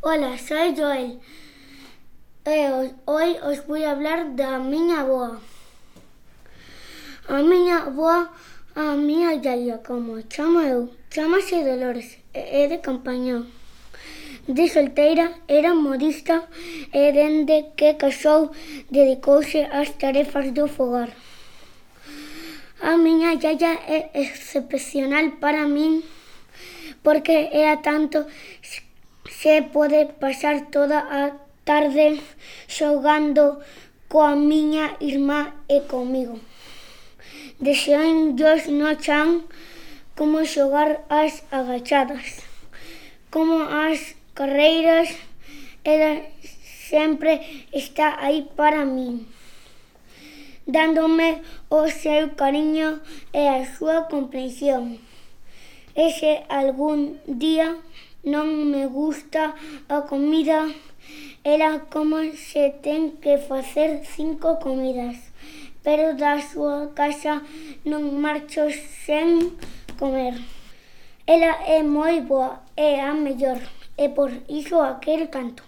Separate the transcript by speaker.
Speaker 1: Hola, soy Joel. Hoy os voy a hablar da miña avoa. A miña avoa, a miña iaia, como chamo eu, chamase Dolores, é de Campañón. De solteira era modista e dende que casou dedicouse ás tarefas do fogar. A miña iaia é excepcional para min porque era tanto se pode pasar toda a tarde xogando coa miña irmá e comigo. Deixánllos no chan como xogar ás agachadas, como as carreiras. Ela sempre está aí para min, dándome o seu cariño e a súa comprensión. E se algún día non me gusta a comida, ela como se ten que facer 5 comidas, pero da súa casa non marcho sen comer. Ela é moi boa, é a mellor, e por iso a quero tanto.